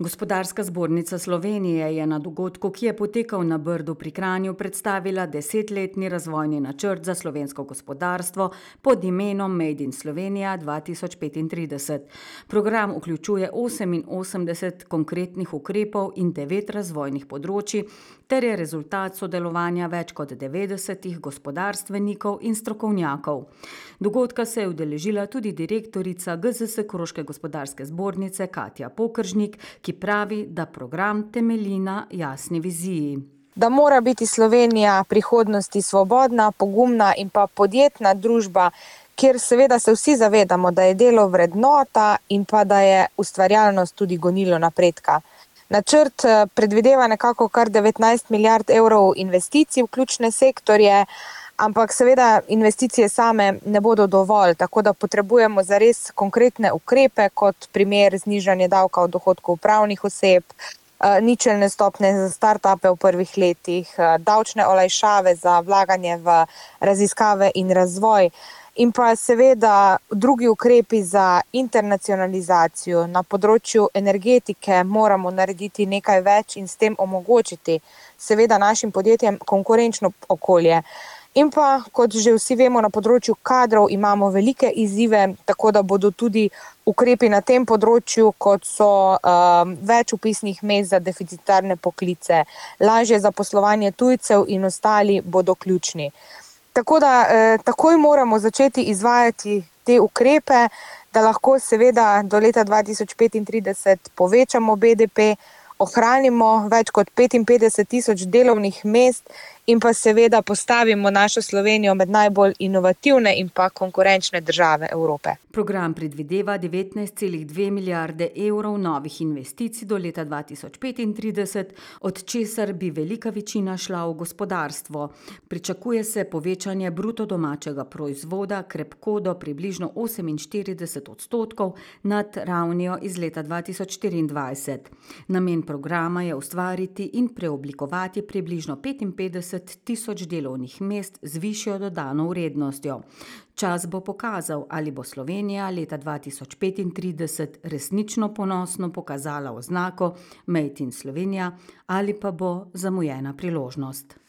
Gospodarska zbornica Slovenije je na dogodku, ki je potekal na Brdu pri Kranju, predstavila 10-letni razvojni načrt za slovensko gospodarstvo pod imenom Made in Slovenija 2035. Program vključuje 88 konkretnih ukrepov in 9 razvojnih področij ter je rezultat sodelovanja več kot 90 gospodarstvenikov in strokovnjakov. Dogodka se je udeležila tudi direktorica GZS Koroške gospodarske zbornice Katja Pokeržnik, ki pravi, da program temelji na jasni viziji. Da mora biti Slovenija prihodnosti svobodna, pogumna in pa podjetna družba, kjer seveda se vsi zavedamo, da je delo vrednota in pa da je ustvarjalnost tudi gonilo napredka. Načrt predvideva nekako kar 19 milijard evrov investicij v ključne sektorje, ampak seveda investicije same ne bodo dovolj, tako da potrebujemo zares konkretne ukrepe, kot primer znižanje davka od dohodkov pravnih oseb, ničelne stopnje za startupe v prvih letih, davčne olajšave za vlaganje v raziskave in razvoj in pa seveda drugi ukrepi za internacionalizacijo. Na področju energetike moramo narediti nekaj več in s tem omogočiti seveda našim podjetjem konkurenčno okolje. In pa, kot že vsi vemo, na področju kadrov imamo velike izzive, tako da bodo tudi ukrepi na tem področju, kot so več vpisnih mest za deficitarne poklice, lažje zaposlovanje tujcev in ostali bodo ključni. Tako da takoj moramo začeti izvajati te ukrepe, da lahko seveda do leta 2035 povečamo BDP, ohranimo več kot 55 tisoč delovnih mest in pa seveda postavimo našo Slovenijo med najbolj inovativne in pa konkurenčne države Evrope. Program predvideva 19,2 milijarde evrov novih investicij do leta 2035, od česar bi velika večina šla v gospodarstvo. Pričakuje se povečanje bruto domačega proizvoda krepko do približno 48% nad ravnijo iz leta 2024. Namen programa je ustvariti in preoblikovati približno 55 tisoč delovnih mest z višjo dodano vrednostjo. Čas bo pokazal, ali bo Slovenija leta 2035 resnično ponosno pokazala oznako Made in Slovenija ali pa bo zamujena priložnost.